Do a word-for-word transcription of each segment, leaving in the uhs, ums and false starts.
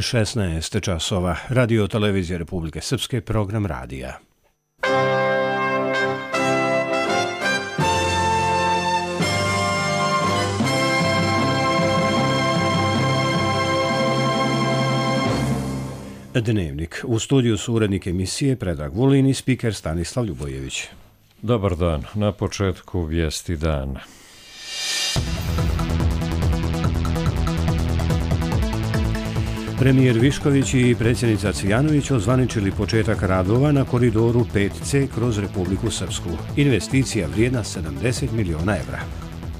šesnaest časova. Radio televizija Republike Srpske, program radija. Dnevnik. U studiju su urednik emisije Predrag Vulin i spiker Stanislav Ljubojević. Dobar dan. Na početku vijesti dana. Premijer Višković i predsjednica Cvijanović ozvaničili početak radova na koridoru pet ce kroz Republiku Srpsku. Investicija vrijedna sedamdeset miliona evra.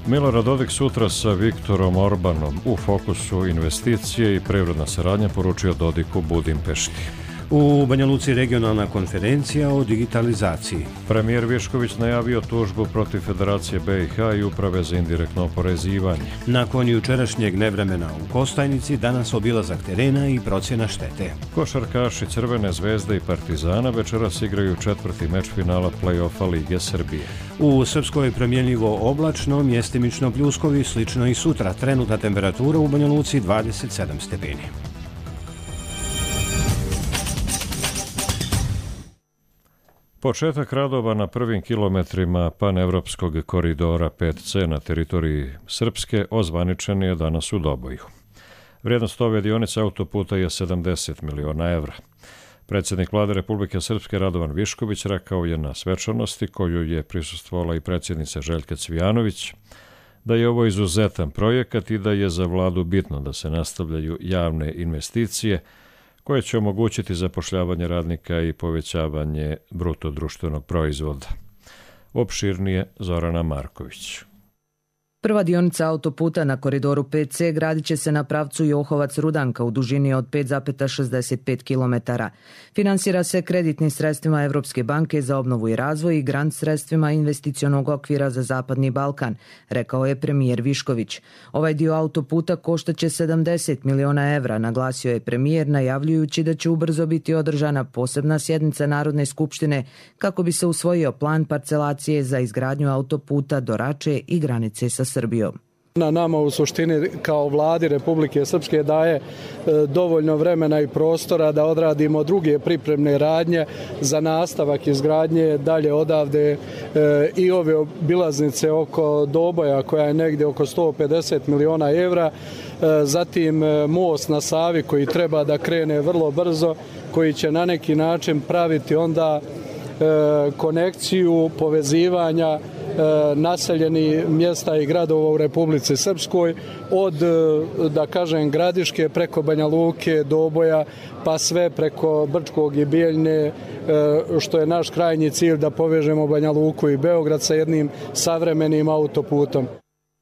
Milorad Dodik sutra sa Viktorom Orbanom u fokusu investicije i privredna saradnja, poručio Dodik u Budimpešti. U Banja Luci regionalna konferencija o digitalizaciji. Premijer Višković najavio tužbu protiv Federacije be i ha i Uprave za indirektno oporezivanje. Nakon jučerašnjeg nevremena u Kostajnici, danas obilazak terena i procjena štete. Košarkaši Crvene zvezde i Partizana večeras igraju četvrti meč finala play-offa Lige Srbije. U Srpskoj promjenljivo oblačno, mjestimično pljuskovi, slično i sutra. Trenutna temperatura u Banja Luci dvadeset sedam stepeni. Početak radova na prvim kilometrima panevropskog koridora pet ce na teritoriji Srpske ozvaničen je danas u Doboju. Vrijednost ove dionice autoputa je sedamdeset miliona evra. Predsjednik Vlade Republike Srpske Radovan Višković rekao je na svečanosti koju je prisustvovala i predsjednica Željka Cvijanović da je ovo izuzetan projekat i da je za vladu bitno da se nastavljaju javne investicije koje će omogućiti zapošljavanje radnika i povećavanje bruto društvenog proizvoda. Opširnije Zorana Marković. Prva dionica autoputa na koridoru pet ce gradit će se na pravcu Johovac-Rudanka u dužini od pet zarez šezdeset pet kilometara. Finansira se kreditnim sredstvima Evropske banke za obnovu i razvoj i grant sredstvima investicionog okvira za Zapadni Balkan, rekao je premijer Višković. Ovaj dio autoputa koštaće sedamdeset miliona evra, naglasio je premijer najavljujući da će ubrzo biti održana posebna sjednica Narodne skupštine kako bi se usvojio plan parcelacije za izgradnju autoputa do Rače i granice sa Srbijom. Na nama u suštini kao vladi Republike Srpske daje e, dovoljno vremena i prostora da odradimo druge pripremne radnje za nastavak izgradnje dalje odavde e, i ove obilaznice oko Doboja koja je negdje oko sto pedeset miliona evra, e, zatim e, most na Savi koji treba da krene vrlo brzo, koji će na neki način praviti onda e, konekciju povezivanja naseljeni mjesta i gradova u Republici Srpskoj od, da kažem, Gradiške preko Banja Luke, Doboja, pa sve preko Brčkog i Bijeljne, što je naš krajnji cilj da povežemo Banja Luku i Beograd sa jednim savremenim autoputom.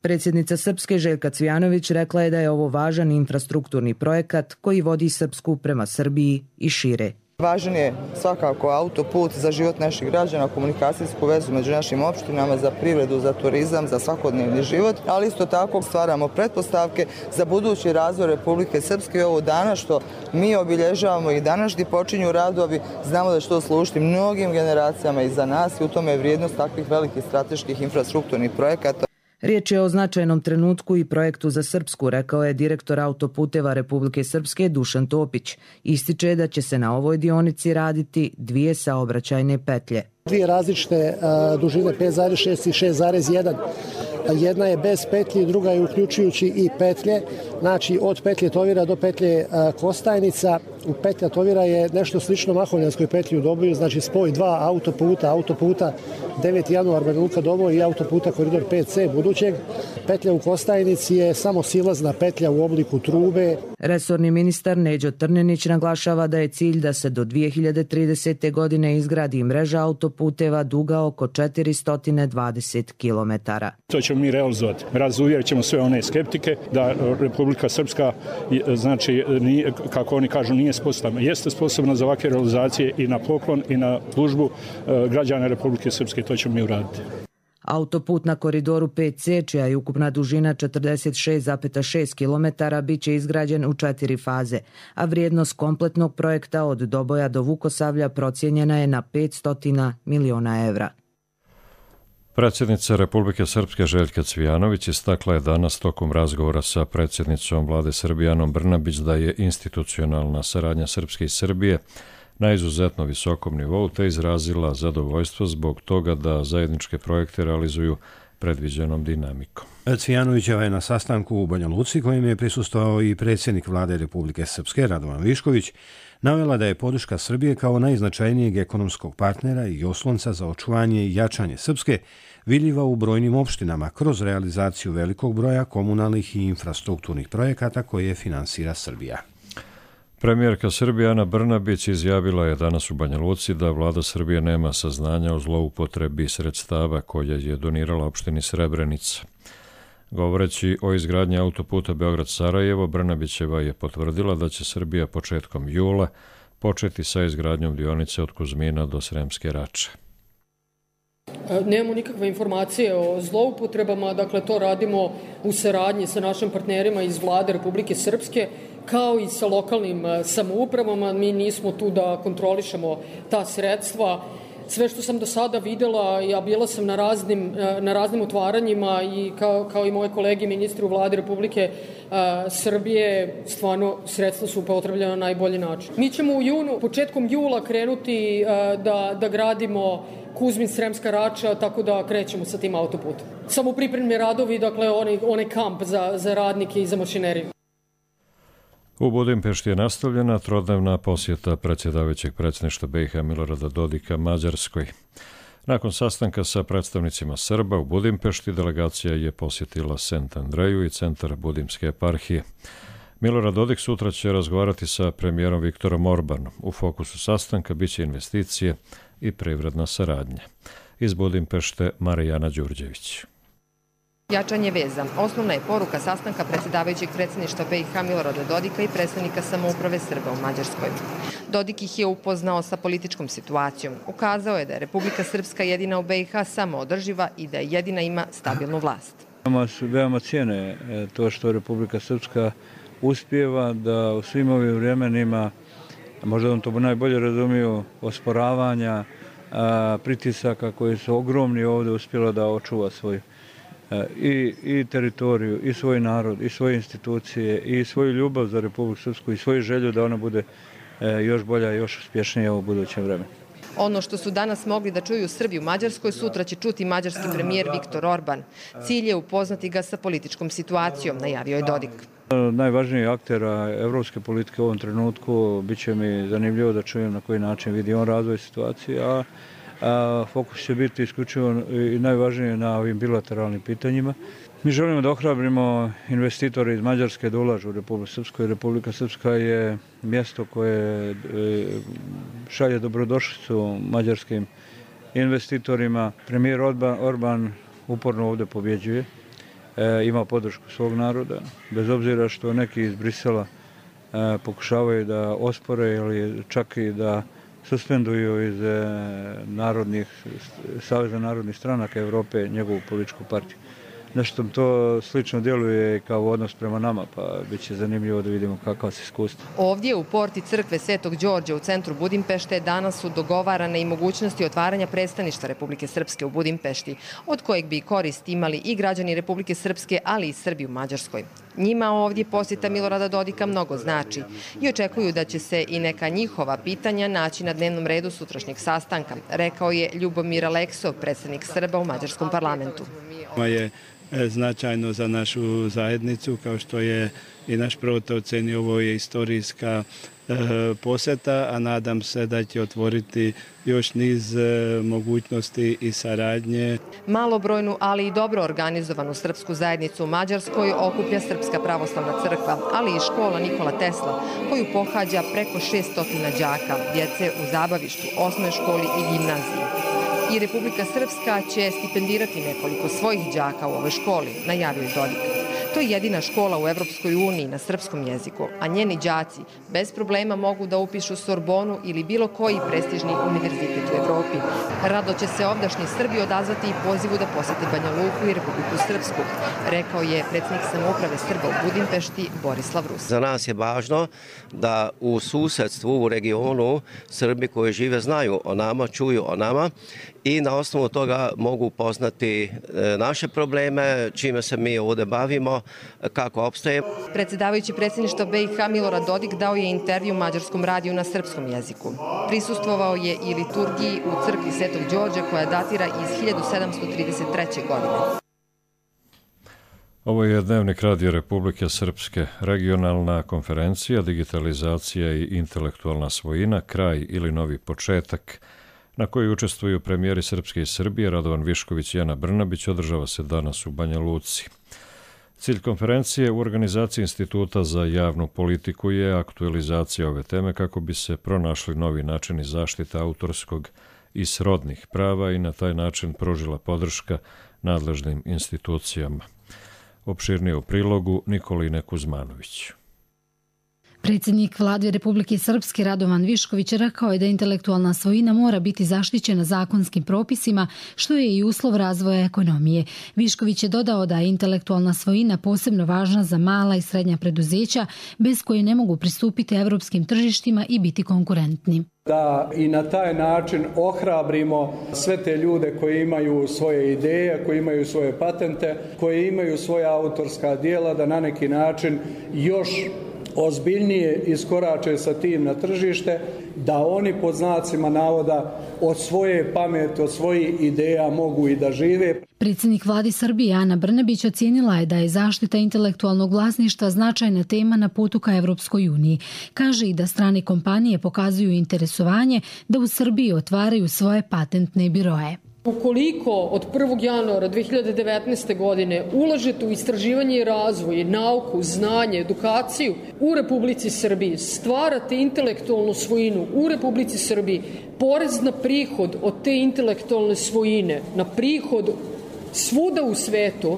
Predsjednica Srpske Željka Cvijanović rekla je da je ovo važan infrastrukturni projekat koji vodi Srpsku prema Srbiji i šire. Važan je svakako autoput za život naših građana, komunikacijsku vezu među našim opštinama, za privredu, za turizam, za svakodnevni život, ali isto tako stvaramo pretpostavke za budući razvoj Republike Srpske i ovo danas što mi obilježavamo i danas gdje počinju radovi, znamo da će to služiti mnogim generacijama iza nas i u tome je vrijednost takvih velikih strateških infrastrukturnih projekata. Riječ je o značajnom trenutku i projektu za Srpsku, rekao je direktor autoputeva Republike Srpske Dušan Topić. Ističe da će se na ovoj dionici raditi dvije saobraćajne petlje. Dvije različite uh, dužine pet zarez šest i šest zarez jedan. Jedna je bez petlji, druga je uključujući i petlje. Znači od petlje Tovira do petlje uh, Kostajnica. U petlja Tovira je nešto slično Mahovljanskoj petlji u Doboju, znači spoj dva autoputa, autoputa deveti januar Banja Luka Doboj i autoputa koridor pet ce budućeg. Petlja u Kostajnici je samo silazna petlja u obliku trube. Resorni ministar Neđo Trnjanić naglašava da je cilj da se do dvije hiljade tridesete. godine izgradi mreža autoputeva duga oko četiristo dvadeset kilometara. To ćemo mi realizovati. Razuvjerit ćemo sve one skeptike da Republika Srpska, znači, nije, kako oni kažu, nije sposobna. Jeste sposobna za ovakve realizacije i na poklon i na službu građana Republike Srpske. To ćemo mi uraditi. Autoput na koridoru pet ce, čija je ukupna dužina četrdeset šest zarez šest kilometara, bit će izgrađen u četiri faze, a vrijednost kompletnog projekta od Doboja do Vukosavlja procijenjena je na petsto miliona evra. Predsjednica Republike Srpske Željka Cvijanović istakla je danas tokom razgovora sa predsjednicom vlade Srbije Anom Brnabić da je institucionalna saradnja Srpske i Srbije na izuzetno visokom nivou, te izrazila zadovoljstvo zbog toga da zajedničke projekte realizuju predviđenom dinamikom. Cvijanovićeva je na sastanku u Banja Luci, kojem je prisustvovao i predsjednik vlade Republike Srpske Radovan Višković, navela da je podrška Srbije kao najznačajnijeg ekonomskog partnera i oslonca za očuvanje i jačanje Srpske vidljiva u brojnim opštinama kroz realizaciju velikog broja komunalnih i infrastrukturnih projekata koje finansira Srbija. Premijerka Srbije Ana Brnabić izjavila je danas u Banja Luci da vlada Srbije nema saznanja o zloupotrebi sredstava koje je donirala opštini Srebrenica. Govoreći o izgradnji autoputa Beograd-Sarajevo, Brnabićeva je potvrdila da će Srbija početkom jula početi sa izgradnjom dionice od Kuzmina do Sremske Rače. Nemamo nikakve informacije o zloupotrebama, dakle to radimo u saradnji sa našim partnerima iz vlade Republike Srpske, kao i sa lokalnim samoupravama. Mi nismo tu da kontrolišemo ta sredstva. Sve što sam do sada videla, ja bila sam na raznim, na raznim otvaranjima i kao, kao i moje kolege ministri u vladi Republike uh, Srbije, stvarno sredstva su upotrebljena na najbolji način. Mi ćemo u junu, početkom jula krenuti uh, da, da gradimo Kuzmin Sremska Rača, tako da krećemo sa tim autoputom. Samo pripremni radovi, dakle onaj, onaj kamp za, za radnike i za mašineriju. U Budimpešti je nastavljena trodnevna posjeta predsjedavajućeg predsjedništva B i H Milorada Dodika Mađarskoj. Nakon sastanka sa predstavnicima Srba u Budimpešti, delegacija je posjetila Sent Andreju i centar Budimske eparhije. Milorad Dodik sutra će razgovarati sa premijerom Viktorom Orbanom. U fokusu sastanka biće investicije i privredna saradnja. Iz Budimpešte Marijana Đurđević. Jačanje veza. Osnovna je poruka sastanka predsjedavajućeg predsjedništva B i H Milorada Dodika i predstavnika samouprave Srba u Mađarskoj. Dodik ih je upoznao sa političkom situacijom. Ukazao je da je Republika Srpska jedina u B i H samoodrživa i da jedina ima stabilnu vlast. Veoma cijene to što Republika Srpska uspijeva da u svim ovim vremenima, možda on to najbolje razumiju, osporavanja, pritisaka koji su ogromni ovdje uspjela da očuva svoju I, i teritoriju, i svoj narod, i svoje institucije, i svoju ljubav za Republiku Srpsku, i svoju želju da ona bude još bolja i još uspješnija u budućem vremenu. Ono što su danas mogli da čuju Srbi u Mađarskoj, sutra će čuti mađarski premijer Viktor Orban. Cilj je upoznati ga sa političkom situacijom, najavio je Dodik. Najvažniji aktera evropske politike u ovom trenutku bit će mi zanimljivo da čujem na koji način vidi on razvoj situacije, a A fokus će biti isključivo i najvažnije na ovim bilateralnim pitanjima. Mi želimo da ohrabrimo investitore iz Mađarske da ulažu u Republiku Srpsku. Republika Srpska je mjesto koje šalje dobrodošlicu mađarskim investitorima. Premijer Orban uporno ovdje pobjeđuje, ima podršku svog naroda, bez obzira što neki iz Brisela pokušavaju da ospore ili čak i da suspenduju iz narodnih, Saveza narodnih stranaka Evrope njegovu političku partiju. Nešto to slično djeluje kao odnos prema nama, pa bit će zanimljivo da vidimo kakva se iskustva. Ovdje u porti crkve Svetog Đorđa u centru Budimpešte danas su dogovarane i mogućnosti otvaranja predstavništva Republike Srpske u Budimpešti, od kojeg bi korist imali i građani Republike Srpske, ali i Srbi u Mađarskoj. Njima ovdje posjeta Milorada Dodika mnogo znači i očekuju da će se i neka njihova pitanja naći na dnevnom redu sutrašnjeg sastanka, rekao je Ljubomir Aleksov, predsjednik Srba u Mađarskom parlamentu. Je značajno za našu zajednicu, kao što je i naš prvotno ocenio, ovo je istorijska posjeta, a nadam se da će otvoriti još niz mogućnosti i saradnje. Malobrojnu, ali i dobro organizovanu srpsku zajednicu u Mađarskoj okuplja Srpska pravoslavna crkva, ali i škola Nikola Tesla, koju pohađa preko šesto đaka, djece u zabavištu, osnovnoj školi i gimnaziji. I Republika Srpska će stipendirati nekoliko svojih đaka u ovoj školi, najavio je Dodik. To je jedina škola u Evropskoj uniji na srpskom jeziku, a njeni đaci bez problema mogu da upišu Sorbonu ili bilo koji prestižni univerzitet u Evropi. Rado će se ovdašnji Srbi odazvati i pozivu da posete Banja Luku i Republiku Srpsku, rekao je predsjednik samouprave Srba u Budimpešti Borislav Rus. Za nas je važno da u susedstvu, u regionu, Srbi koji žive znaju o nama, čuju o nama i na osnovu toga mogu upoznati naše probleme, čime se mi ovdje bavimo, kako opstajemo. Predsjedavajući predsjedništva B i H Milorad Dodik dao je intervju mađarskom radiju na srpskom jeziku. Prisustvovao je i liturgiji u crkvi Svetog Đorđa koja datira iz hiljadu sedamsto trideset treće. godine. Ovo je Dnevnik Radio Republike Srpske, regionalna konferencija, digitalizacija i intelektualna svojina, kraj ili novi početak, na kojoj učestvuju premijeri Srpske i Srbije Radovan Višković i Ana Brnabić, održava se danas u Banja Luci. Cilj konferencije u organizaciji Instituta za javnu politiku je aktualizacija ove teme kako bi se pronašli novi načini zaštite autorskog i srodnih prava i na taj način pružila podrška nadležnim institucijama. Opširnije u prilogu Nikoline Kuzmanović. Predsjednik Vlade Republike Srpske Radovan Višković rekao je da intelektualna svojina mora biti zaštićena zakonskim propisima, što je i uslov razvoja ekonomije. Višković je dodao da je intelektualna svojina posebno važna za mala i srednja preduzeća, bez koje ne mogu pristupiti evropskim tržištima i biti konkurentni. Da i na taj način ohrabrimo sve te ljude koji imaju svoje ideje, koji imaju svoje patente, koji imaju svoja autorska djela, da na neki način još ozbiljnije iskorače sa tim na tržište, da oni pod znacima navoda od svoje pameti, od svojih ideja mogu i da žive. Predsjednik Vlade Srbije Ana Brnabić ocijenila je da je zaštita intelektualnog vlasništva značajna tema na putu ka Evropskoj uniji. Kaže i da strane kompanije pokazuju interesovanje da u Srbiji otvaraju svoje patentne biroe. Ukoliko od prvog januara dve hiljade devetnaeste. godine ulažete u istraživanje i razvoj, nauku, znanje, edukaciju u Republici Srbiji, stvarate intelektualnu svojinu u Republici Srbiji, porez na prihod od te intelektualne svojine, na prihod svuda u svetu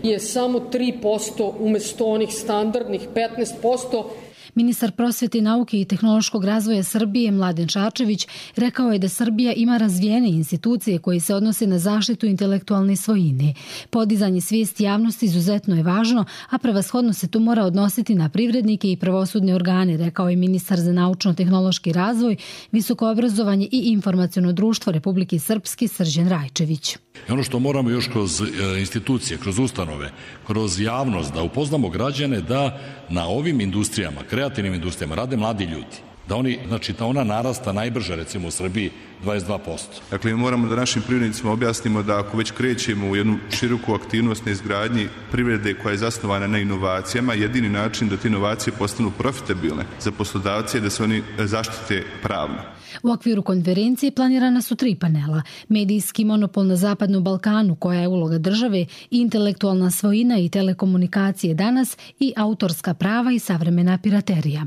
je samo tri posto umjesto onih standardnih petnaest posto. Ministar prosvete, nauke i tehnološkog razvoja Srbije Mladen Šarčević rekao je da Srbija ima razvijene institucije koje se odnose na zaštitu intelektualne svojine. Podizanje svijesti javnosti izuzetno je važno, a prevashodno se to mora odnositi na privrednike i pravosudne organe, rekao je ministar za naučno-tehnološki razvoj, visoko obrazovanje i informaciono društvo Republike Srpske Srđan Rajčević. I ono što moramo još kroz institucije, kroz ustanove, kroz javnost da upoznamo građane da na ovim industrijama, kreativnim industrijama rade mladi ljudi. Da oni, znači da ona narasta najbrže recimo u Srbiji dvadeset dva posto. Dakle, mi moramo da našim privrednicima objasnimo da ako već krećemo u jednu široku aktivnost na izgradnji privrede koja je zasnovana na inovacijama, jedini način da te inovacije postanu profitabilne za poslodavce je da se oni zaštite pravno. U okviru konferencije planirana su tri panela. Medijski monopol na Zapadnom Balkanu, koja je uloga države, intelektualna svojina i telekomunikacije danas i autorska prava i savremena piraterija.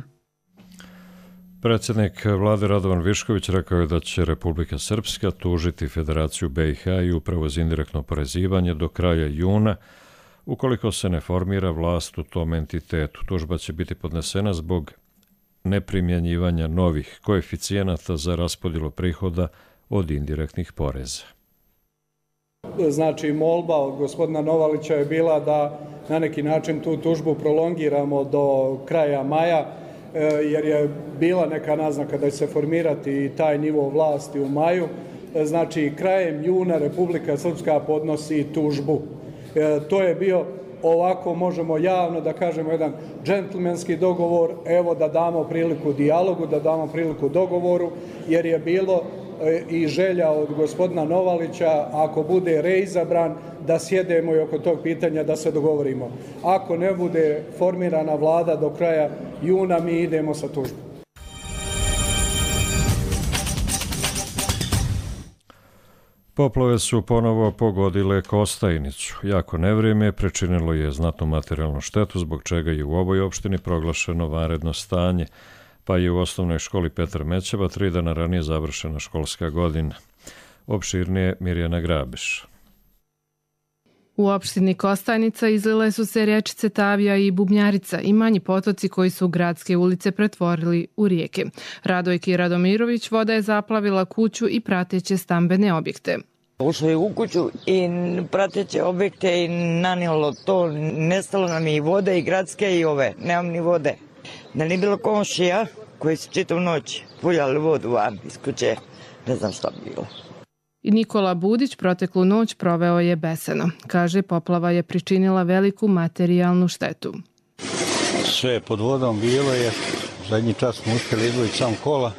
Predsjednik Vlade Radovan Višković rekao je da će Republika Srpska tužiti Federaciju B i H i Upravu za indirektno oporezivanje do kraja juna, ukoliko se ne formira vlast u tom entitetu. Tužba će biti podnesena zbog neprimjenjivanja novih koeficijenata za raspodjelu prihoda od indirektnih poreza. Znači, molba od gospodina Novalića je bila da na neki način tu tužbu prolongiramo do kraja maja, jer je bila neka naznaka da će se formirati i taj nivo vlasti u maju. Znači, krajem juna Republika Srpska podnosi tužbu. To je bio, ovako možemo javno da kažemo, jedan džentlmenski dogovor, evo da damo priliku dijalogu, da damo priliku dogovoru, jer je bilo i želja od gospodina Novalića, ako bude reizabran, da sjedemo i oko tog pitanja da se dogovorimo. Ako ne bude formirana vlada do kraja juna, mi idemo sa tužbom. Poplave su ponovo pogodile Kostajnicu. Jako nevrijeme pričinilo je znatnu materijalnu štetu, zbog čega je u ovoj opštini proglašeno vanredno stanje, pa je u osnovnoj školi Petar Mećeva tri dana ranije završena školska godina. Opširnije Mirjana Grabiš. U opštini Kostajnica izlile su se rječice Tavija i Bubnjarica i manji potoci koji su gradske ulice pretvorili u rijeke. Radojki Radomirović, voda je zaplavila kuću i prateće stambene objekte. Ušlo je u kuću i prateće objekte i nanijelo to, nestalo nam i vode i gradske i ove, nemam ni vode. Da nije bilo komšija koji su čitavu noć puljali vodu van iz kuće, ne znam šta bi bilo. I Nikola Budić proteklu noć proveo je besano. Kaže, poplava je pričinila veliku materijalnu štetu. Sve je pod vodom bilo je, zadnji čas smo uspjeli izvojiti sam kola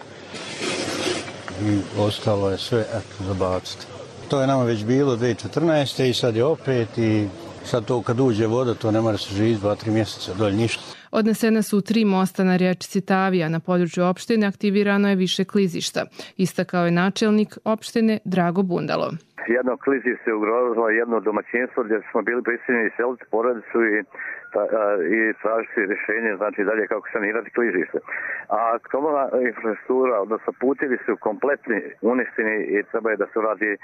i ostalo je sve eto, zabaciti. To je nama već bilo dvije tisuće četrnaeste. i sad je opet i sad to kad uđe voda to ne mora se živjeti dva, tri mjeseca, dolje ništa. Odnesene su tri mosta na riječici Tavija. Na području opštine aktivirano je više klizišta. Istakao je načelnik opštine Drago Bundalo. Jedno klizište je ugrozilo jedno domaćinstvo gdje smo bili prisiljeni seliti porodicu i Ta, a, i tražiti rješenje, znači dalje kako sanirati klizište. A komunalna infrastruktura, odnosno putevi su kompletni uništeni i treba je da se radi a,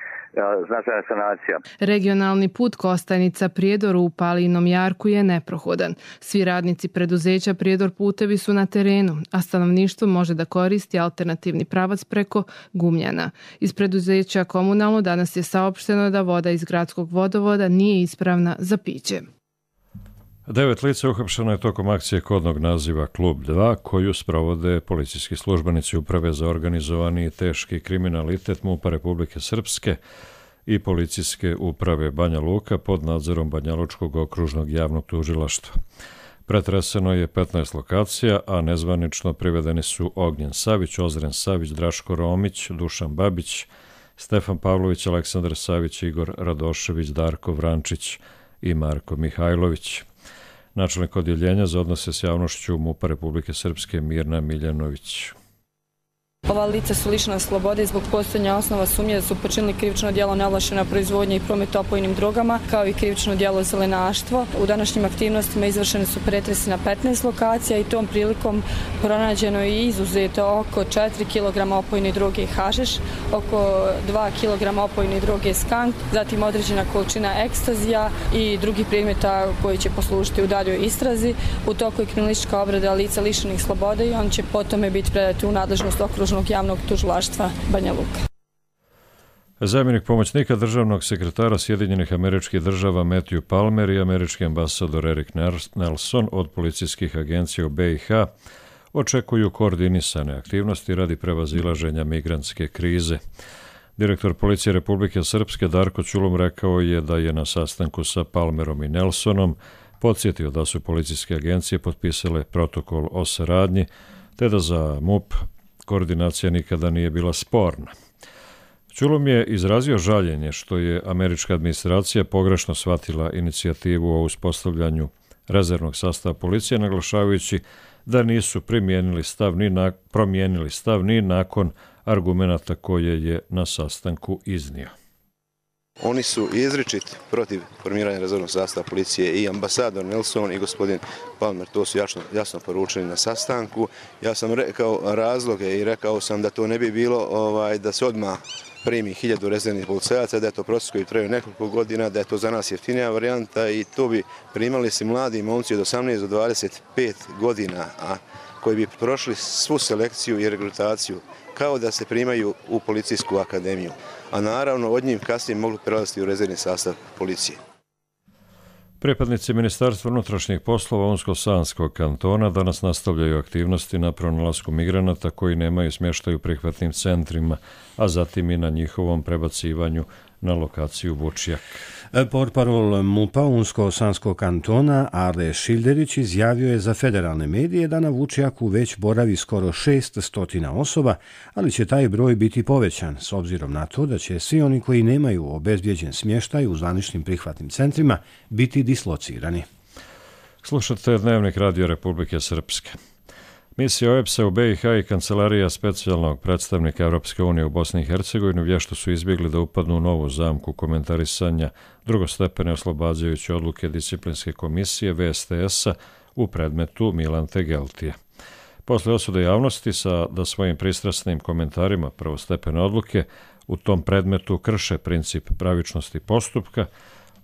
značajna sanacija. Regionalni put Kostajnica Prijedor u Palinom jarku je neprohodan. Svi radnici preduzeća Prijedor putevi su na terenu, a stanovništvo može da koristi alternativni pravac preko Gumljana. Iz preduzeća Komunalno danas je saopšteno da voda iz gradskog vodovoda nije ispravna za piće. Devet lica uhapšeno je tokom akcije kodnog naziva Klub dva, koju sprovode policijski službenici Uprave za organizovani i teški kriminalitet MUP-a Republike Srpske i policijske uprave Banja Luka pod nadzorom Banjalučkog okružnog javnog tužilaštva. Pretreseno je petnaest lokacija, a nezvanično privedeni su Ognjen Savić, Ozren Savić, Draško Romić, Dušan Babić, Stefan Pavlović, Aleksandar Savić, Igor Radošević, Darko Vrančić i Marko Mihajlović. Načelnik odjeljenja za odnose s javnošću MUP-a Republike Srpske Mirna Miljanović. Ova lica su lišena slobode i zbog postojanja osnova sumnje da su počinili krivično djelo neovlašćena proizvodnja i promet opojnim drogama, kao i krivično djelo zelenaštvo. U današnjim aktivnostima izvršene su pretresi na petnaest lokacija i tom prilikom pronađeno je izuzeto oko četiri kilograma opojne droge hašiš, oko dva kilograma opojne droge skank, zatim određena količina ekstazija i drugih predmeta koji će poslužiti u daljoj istrazi. U toku je kriminalistička obrada lica lišenih slobode i on će potome biti predati u nadležnost okružnog javnog tužilaštva Banja Luka. Zamjenik pomoćnika državnog sekretara Sjedinjenih Američkih Država Matthew Palmer i američki ambasador Erik Nelson od policijskih agencija u B i H očekuju koordinisane aktivnosti radi prevazilaženja migrantske krize. Direktor policije Republike Srpske Darko Ćulum rekao je da je na sastanku sa Palmerom i Nelsonom podsjetio da su policijske agencije potpisale protokol o saradnji, te da za MUP koordinacija nikada nije bila sporna. Ćulum je izrazio žaljenje što je američka administracija pogrešno shvatila inicijativu o uspostavljanju rezervnog sastava policije, naglašavajući da nisu primijenili stav ni na, promijenili stav ni nakon argumenata koje je na sastanku iznio. Oni su izričit protiv formiranja rezervnog sastava policije i ambasador Nelson i gospodin Palmer. To su jasno, jasno poručili na sastanku. Ja sam rekao razloge i rekao sam da to ne bi bilo ovaj, da se odmah primi hiljadu rezervnih policajaca, da je to proces koji traju nekoliko godina, da je to za nas jeftinija varijanta i to bi primali se mladi momci od osamnaest do dvadeset pet godina, a koji bi prošli svu selekciju i regrutaciju kao da se primaju u policijsku akademiju, a naravno od njih kasnije mogli prelaziti u rezervni sastav policije. Pripadnici Ministarstva unutrašnjih poslova Unsko-Sanskog kantona danas nastavljaju aktivnosti na pronalasku migranata koji nemaju smještaj u prihvatnim centrima, a zatim i na njihovom prebacivanju na lokaciju Vučjak. Portparol MUP-a Unsko-Sanskog kantona Ale Šilderić izjavio je za federalne medije da na Vučjaku već boravi skoro šest stotina osoba, ali će taj broj biti povećan s obzirom na to da će svi oni koji nemaju obezbijeđen smještaj u zvaničnim prihvatnim centrima biti dislocirani. Slušate Dnevnik Radio Republike Srpske. Misija O E B S-a u B i H i Kancelarija specijalnog predstavnika Europske unije u Bosni i Hercegovini vješto su izbjegli da upadnu u novu zamku komentarisanja drugostepene oslobađajuće odluke disciplinske komisije V S T S-a u predmetu Milan Tegeltija. Posle osude javnosti sa da svojim pristrasnim komentarima prvostepene odluke u tom predmetu krše princip pravičnosti postupka,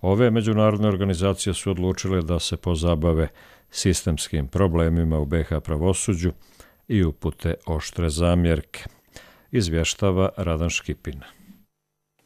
ove međunarodne organizacije su odlučile da se pozabave sistemskim problemima u B H pravosuđu i upute oštre zamjerke, izvještava Radan Škipin.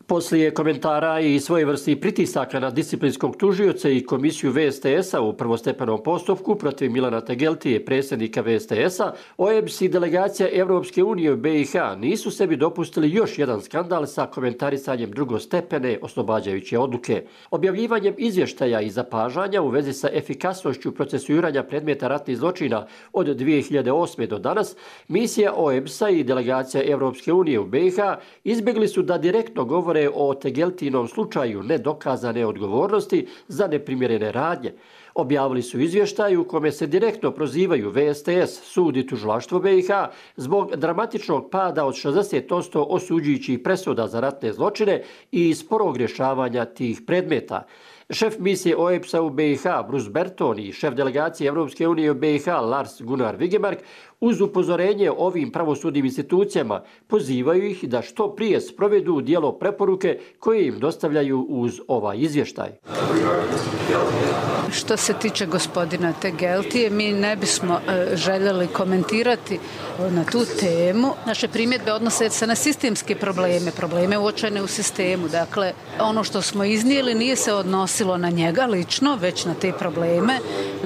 Poslije komentara i svojevrsnih pritisaka na disciplinskog tužioca i komisiju V S T S-a u prvostepenom postupku protiv Milana Tegeltije, predsjednika V S T S-a, O E B S i delegacija Evropske unije u B i H nisu sebi dopustili još jedan skandal sa komentarisanjem drugostepene oslobađajuće odluke. Objavljivanjem izvještaja i zapažanja u vezi sa efikasnošću procesuiranja predmeta ratnih zločina od dvije hiljade osme. do danas, misija O E B S-a i delegacija Evropske unije u B i H izbjegli su da direktno govore o Tegeltinom slučaju nedokazane odgovornosti za neprimjerene radnje. Objavili su izvještaj u kome se direktno prozivaju V S T S, sud i tužilaštvo B i H zbog dramatičnog pada od šezdeset posto osuđujućih presuda za ratne zločine i sporog rješavanja tih predmeta. Šef misije O E B S-a u B i H, Bruce Berton, i šef delegacije Evropske unije u B i H, Lars Gunnar Vigemark, uz upozorenje ovim pravosudnim institucijama pozivaju ih da što prije sprovedu u djelo preporuke koje im dostavljaju uz ovaj izvještaj. Što se tiče gospodina Tegeltije, mi ne bismo e, željeli komentirati na tu temu. Naše primjedbe odnose se na sistemske probleme, probleme uočene u sistemu. Dakle, ono što smo iznijeli nije se odnosilo na njega lično, već na te probleme.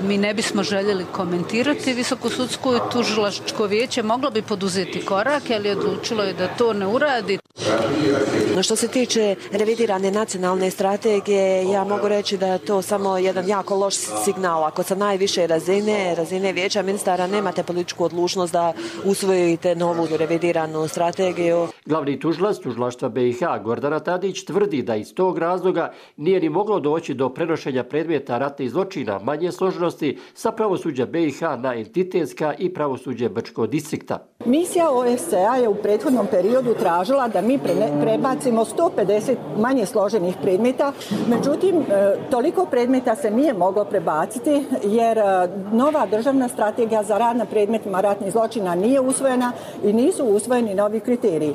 Mi ne bismo željeli komentirati. Visokosudsko i tužilačko vijeće moglo bi poduzeti korake, ali odlučilo je da to ne uradi. Što se tiče revidirane nacionalne strategije, ja mogu reći da je to samo jedan jako loš signal. Ako sa najviše razine, razine vijeća ministara, nemate političku odlučnost da usvojite novu revidiranu strategiju. Glavni tužilac tužilaštva B i H, Gordana Tadić, tvrdi da iz tog razloga nije ni moglo doći do prenošenja predmeta ratnih zločina manje složenosti sa pravosuđa B i H na entitetska i pravosuđe Brčkog distrikta. Misija O E S C E-a je u prethodnom periodu tražila da mi prebacimo sto pedeset manje složenih predmeta, međutim toliko predmeta se nije moglo prebaciti jer nova državna strategija za rad na predmetima ratnih zločina nije usvojena i nisu usvojeni novi kriteriji.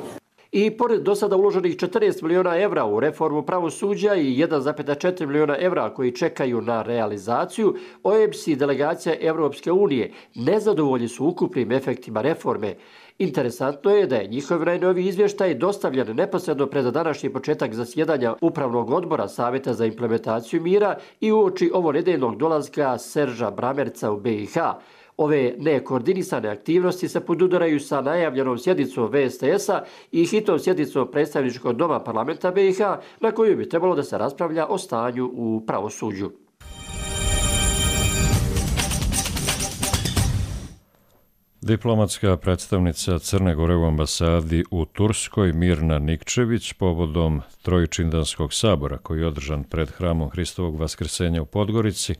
I pored do sada uloženih četrnaest miliona evra u reformu pravosuđa i jedan zarez četiri miliona evra koji čekaju na realizaciju, O E B S i delegacija Evropske unije nezadovoljni su ukupnim efektima reforme. Interesantno je da je njihov najnoviji izvještaj dostavljen neposredno pred današnji početak zasjedanja Upravnog odbora Savjeta za implementaciju mira i uoči ovonedeljnog dolaska Serža Bramerca u B i H. Ove nekoordinisane aktivnosti se podudaraju sa najavljenom sjednicom V S T S-a i hitnom sjednicom predstavničkog doma parlamenta B i H na kojoj bi trebalo da se raspravlja o stanju u pravosuđu. Diplomatska predstavnica Crne Gore u ambasadi u Turskoj Mirna Nikčević povodom Trojičindanskog sabora koji je održan pred hramom Hristovog vaskrsenja u Podgorici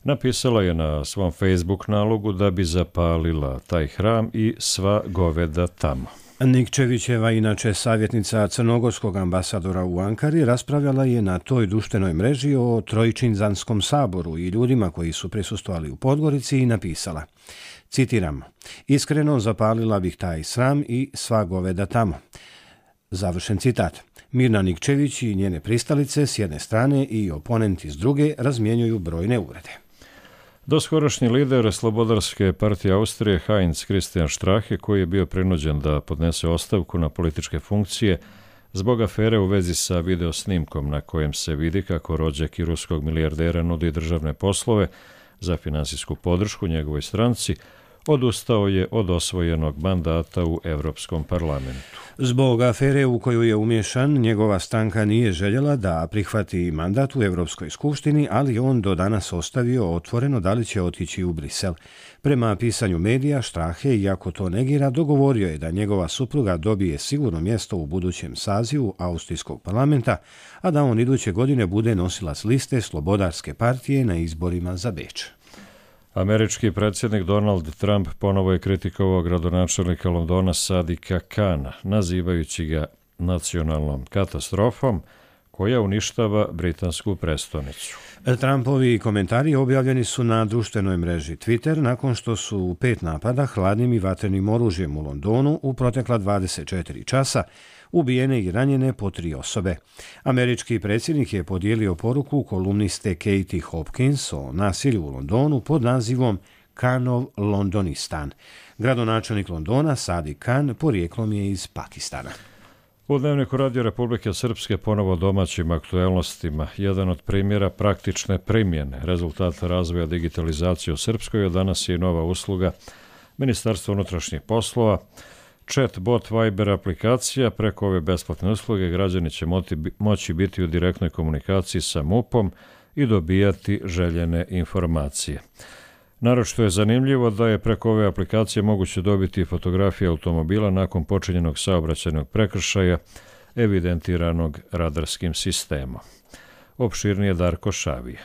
napisala je na svom Facebook nalogu da bi zapalila taj hram i sva goveda tamo. Nikčevićeva, inače savjetnica crnogorskog ambasadora u Ankari, raspravljala je na toj društvenoj mreži o Trojičindanskom saboru i ljudima koji su prisustvovali u Podgorici i napisala, citiram, iskreno zapalila bih taj sram i sva goveda tamo. Završen citat. Mirna Nikčević i njene pristalice s jedne strane i oponenti s druge razmjenjuju brojne uvrede. Doskorašnji lider Slobodarske partije Austrije Heinz Christian Strache, koji je bio prinuđen da podnese ostavku na političke funkcije zbog afere u vezi sa videosnimkom na kojem se vidi kako rođak i ruskog milijardera nudi državne poslove za finansijsku podršku njegovoj stranci, odustao je od osvojenog mandata u Evropskom parlamentu. Zbog afere u koju je umješan, njegova stranka nije željela da prihvati mandat u Evropskoj skupštini, ali on do danas ostavio otvoreno da li će otići u Brisel. Prema pisanju medija, Strache, iako to negira, dogovorio je da njegova supruga dobije sigurno mjesto u budućem sazivu Austrijskog parlamenta, a da on iduće godine bude nosilac liste Slobodarske partije na izborima za Beč. Američki predsjednik Donald Trump ponovo je kritikovao gradonačelnika Londona Sadika Kana, nazivajući ga nacionalnom katastrofom koja uništava britansku prestonicu. Trumpovi komentari objavljeni su na društvenoj mreži Twitter nakon što su u pet napada hladnim i vatrenim oružjem u Londonu u protekla dvadeset četiri časa ubijene i ranjene po tri osobe. Američki predsjednik je podijelio poruku kolumniste Katie Hopkins o nasilju u Londonu pod nazivom Kanov Londonistan. Gradonačelnik Londona Sadiq Khan porijeklom je iz Pakistana. U Dnevniku Radio Republike Srpske ponovo domaćim aktuelnostima. Jedan od primjera praktične primjene rezultata razvoja digitalizacije u Srpskoj, od danas je i nova usluga Ministarstva unutrašnjih poslova. Chatbot Viber aplikacija. Preko ove besplatne usluge građani će moći biti u direktnoj komunikaciji sa MUP-om i dobijati željene informacije. Naročito je zanimljivo da je preko ove aplikacije moguće dobiti fotografije automobila nakon počinjenog saobraćajnog prekršaja evidentiranog radarskim sistemom. Opširnije Darko Šavija.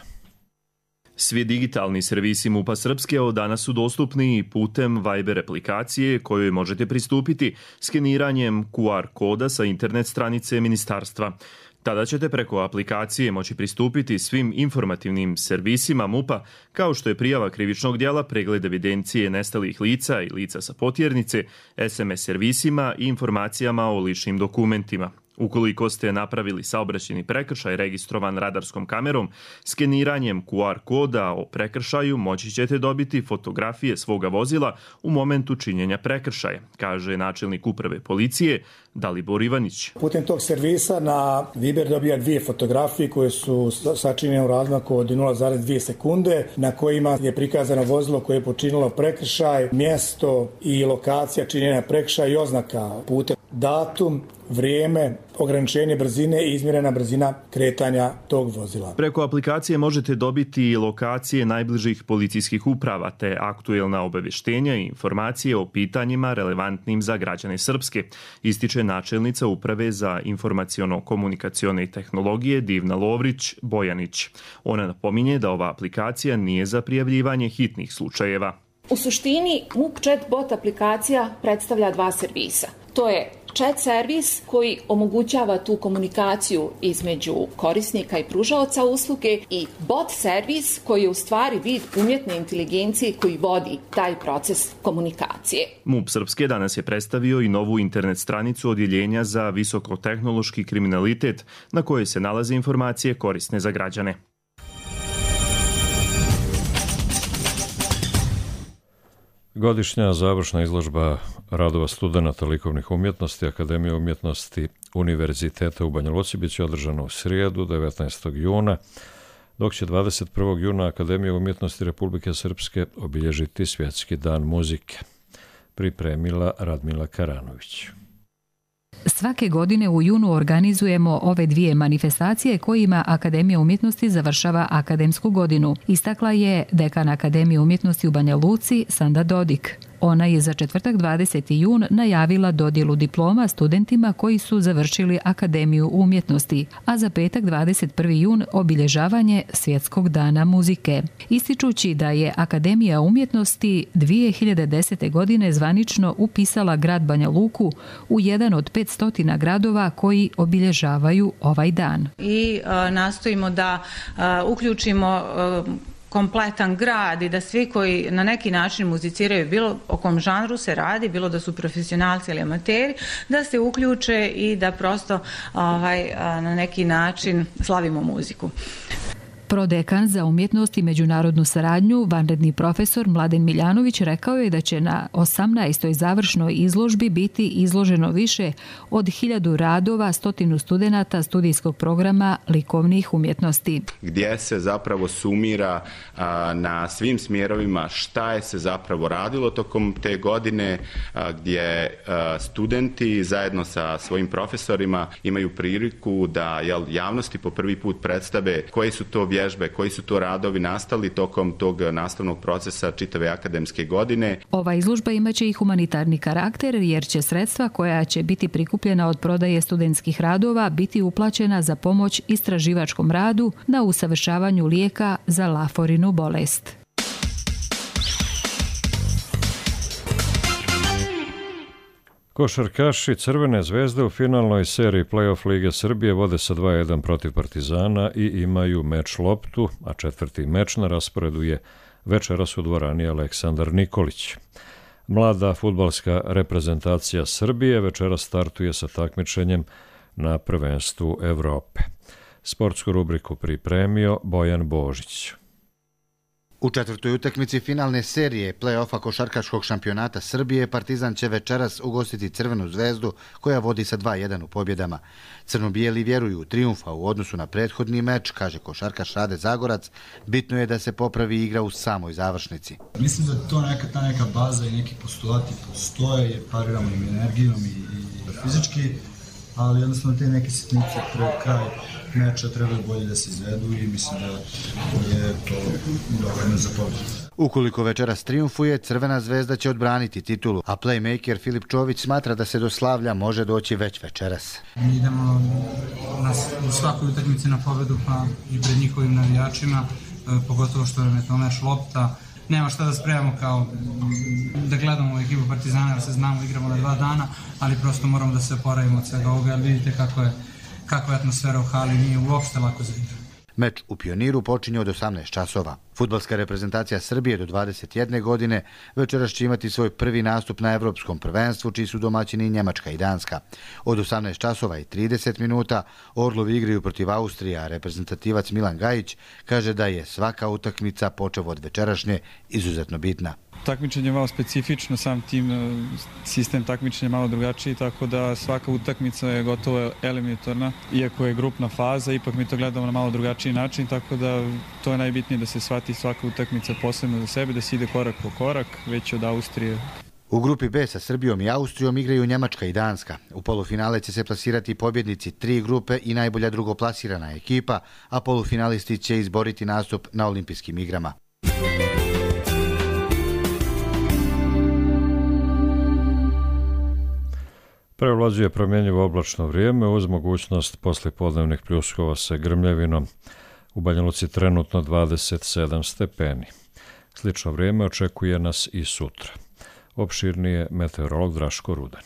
Svi digitalni servisi MUP-a Srpske od danas su dostupni putem Viber aplikacije kojoj možete pristupiti skeniranjem Q R koda sa internet stranice ministarstva. Tada ćete preko aplikacije moći pristupiti svim informativnim servisima MUP-a, kao što je prijava krivičnog djela, pregled evidencije nestalih lica i lica sa potjernice, S M S servisima i informacijama o ličnim dokumentima. Ukoliko ste napravili saobraćajni prekršaj registrovan radarskom kamerom, skeniranjem Q R koda o prekršaju moći ćete dobiti fotografije svoga vozila u momentu činjenja prekršaja, kaže načelnik uprave policije Dalibor Ivanić. Putem tog servisa na Viber dobija dvije fotografije koje su sačinjene u razmaku od nula zarez dvije sekunde, na kojima je prikazano vozilo koje je počinilo prekršaj, mjesto i lokacija činjenja prekršaja i oznaka putem, datum, vrijeme, ograničenje brzine i izmjerena brzina kretanja tog vozila. Preko aplikacije možete dobiti lokacije najbližih policijskih uprava te aktuelna obavještenja i informacije o pitanjima relevantnim za građane Srpske, ističe načelnica Uprave za informaciono-komunikacione tehnologije Divna Lovrić Bojanić. Ona napominje da ova aplikacija nije za prijavljivanje hitnih slučajeva. U suštini MUP Chatbot aplikacija predstavlja dva servisa. To je chat servis koji omogućava tu komunikaciju između korisnika i pružaoca usluge i bot servis koji je u stvari vid umjetne inteligencije koji vodi taj proces komunikacije. MUP Srpske danas je predstavio i novu internet stranicu odjeljenja za visokotehnološki kriminalitet na kojoj se nalaze informacije korisne za građane. Godišnja završna izložba radova studenata likovnih umjetnosti Akademije umjetnosti Univerziteta u Banja Luci biće održana u srijedu devetnaestog juna, dok će dvadeset prvog juna Akademija umjetnosti Republike Srpske obilježiti Svjetski dan muzike. Pripremila Radmila Karanović. Svake godine u junu organizujemo ove dvije manifestacije kojima Akademija umjetnosti završava akademsku godinu, istakla je dekan Akademije umjetnosti u Banja Luci Sanda Dodik. Ona je za četvrtak dvadeseti jun najavila dodjelu diploma studentima koji su završili Akademiju umjetnosti, a za petak dvadeset prvi jun obilježavanje Svjetskog dana muzike. Ističući da je Akademija umjetnosti dvije hiljade desete. godine zvanično upisala grad Banja Luku u jedan od petstotina gradova koji obilježavaju ovaj dan. I a, nastojimo da a, uključimo a, kompletan grad i da svi koji na neki način muziciraju, bilo o kom žanru se radi, bilo da su profesionalci ili amateri, da se uključe i da prosto ovaj, na neki način slavimo muziku. Prodekan za umjetnost i međunarodnu saradnju, vanredni profesor Mladen Miljanović rekao je da će na osamnaestoj završnoj izložbi biti izloženo više od hiljadu radova, stotinu studenata studijskog programa likovnih umjetnosti. Gdje se zapravo sumira a, na svim smjerovima šta je se zapravo radilo tokom te godine, a, gdje a, studenti zajedno sa svojim profesorima imaju priliku da jel, javnosti po prvi put predstave koji su to vježbe, koji su to radovi nastali tokom tog nastavnog procesa čitave akademske godine. Ova izložba imaće i humanitarni karakter jer će sredstva koja će biti prikupljena od prodaje studentskih radova biti uplaćena za pomoć istraživačkom radu na usavršavanju lijeka za Laforinu bolest. Košarkaši Crvene zvezde u finalnoj seriji play-off Lige Srbije vode sa dva jedan protiv Partizana i imaju meč loptu, a četvrti meč na rasporedu je večeras u dvorani Aleksandar Nikolić. Mlada fudbalska reprezentacija Srbije večeras startuje sa takmičenjem na prvenstvu Evrope. Sportsku rubriku pripremio Bojan Božić. U četvrtoj utakmici finalne serije play-offa košarkaškog šampionata Srbije Partizan će večeras ugostiti Crvenu zvezdu koja vodi sa dva jedan u pobjedama. Crno-bijeli vjeruju u trijumfa u odnosu na prethodni meč, kaže košarkaš Rade Zagorac, bitno je da se popravi igra u samoj završnici. Mislim da to neka, ta neka baza i neki postulati postoje, pariramo im energijom i, i fizički, ali jednostavno te neke sitnice pred kraj meča trebaju bolje da se izvedu i mislim da je to dovoljno za pobjedu. Ukoliko večeras trijumfuje, Crvena zvezda će odbraniti titulu, a playmaker Filip Čović smatra da se do slavlja može doći već večeras. Mi idemo na, u svakoj utakmici na pobjedu, pa i pred njihovim navijačima, pogotovo što nam je to naš lopta. Nema šta da spremamo kao da gledamo ekipu Partizana, jer se znamo, igramo na dva dana, ali prosto moramo da se oporavimo od svega ovoga, jer vidite kako je, kako je atmosfera u hali, nije uopšte lako za igru. Meč u Pioniru počinje od osamnaest časova. Fudbalska reprezentacija Srbije do dvadeset jedne godine večeras će imati svoj prvi nastup na Evropskom prvenstvu, čiji su domaćini Njemačka i Danska. Od osamnaest časova i trideset minuta Orlovi igraju protiv Austrije, a reprezentativac Milan Gajić kaže da je svaka utakmica počev od večerašnje izuzetno bitna. Takmičenje je malo specifično, sam tim sistem takmičenja je malo drugačiji, tako da svaka utakmica je gotovo eliminatorna. Iako je grupna faza, ipak mi to gledamo na malo drugačiji način, tako da to je najbitnije da se shvati svaka utakmica posebno za sebe, da se ide korak po korak, već od Austrije. U grupi B sa Srbijom i Austrijom igraju Njemačka i Danska. U polufinale će se plasirati pobjednici tri grupe i najbolja drugoplasirana ekipa, a polufinalisti će izboriti nastup na olimpijskim igrama. Prevlađuje promjenjivo oblačno vrijeme uz mogućnost poslijepodnevnih pljuskova sa grmljavinom. U Banja Luci trenutno dvadeset sedam stepeni. Slično vrijeme očekuje nas i sutra. Opširnije meteorolog Draško Rudan.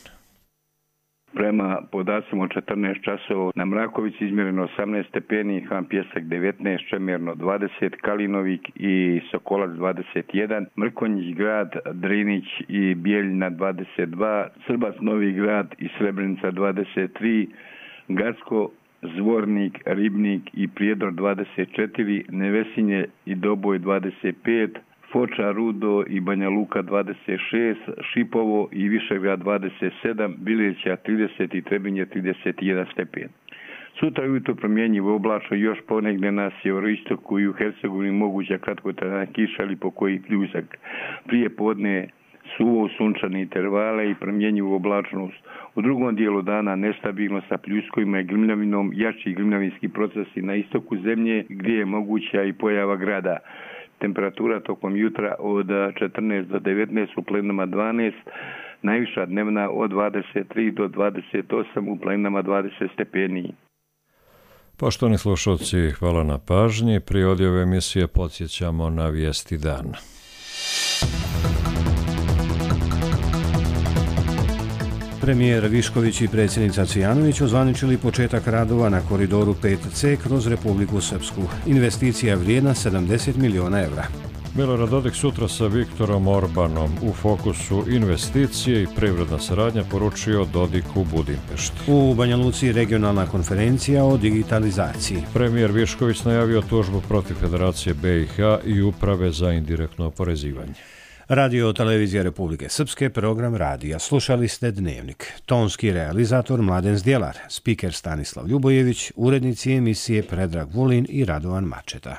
Prema podacima od četrnaest časova na Mrakovici izmjereno osamnaest stepeni, Han Pjesak devetnaest, Čemerno dvadeset, Kalinovik i Sokolac dvadeset jedan, Mrkonjić grad, Drinić i Bijeljina dvadeset dva, Srbac Novi grad i Srebrenica dvadeset tri, Gacko, Zvornik, Ribnik i Prijedor dvadeset četiri, Nevesinje i Doboj dvadeset pet, Foča, Rudo i Banja Luka dvadeset šest, Šipovo i Višegrad dvadeset sedam, Bileća trideset i Trebinje trideset jedan stepen. Sutra ujutro promjenjivo oblačno, još ponegdje na sjeveroistoku i u Hercegovini moguća kratkotrajna kiša ili pokoji pljusak. Prije podne suvo sunčane intervale i promjenjivu oblačnost. U drugom dijelu dana nestabilno sa pljuskovima i grmljavinom, jači grmljavinski procesi na istoku zemlje gdje je moguća i pojava grada. Temperatura tokom jutra od četrnaest do devetnaest, u planinama dvanaest, najviša dnevna od dvadeset tri do dvadeset osam, u planinama dvadeset stepeni. Poštovani slušalci, hvala na pažnji. Prije odjave emisije podsjećamo na vijesti dana. Premijer Višković i predsjednica Cvijanović ozvaničili početak radova na koridoru pet ce kroz Republiku Srpsku. Investicija je vrijedna sedamdeset miliona evra. Milorad Dodik sutra sa Viktorom Orbanom. U fokusu investicije i privredna saradnja, poručio Dodik u Budimpešti. U Banja Luci regionalna konferencija o digitalizaciji. Premijer Višković najavio tužbu protiv Federacije be i ha i Uprave za indirektno oporezivanje. Radio Televizija Republike Srpske, program radija. Slušali ste Dnevnik. Tonski realizator Mladen Zdjelar, spiker Stanislav Ljubojević, urednici emisije Predrag Vulin i Radovan Mačeta.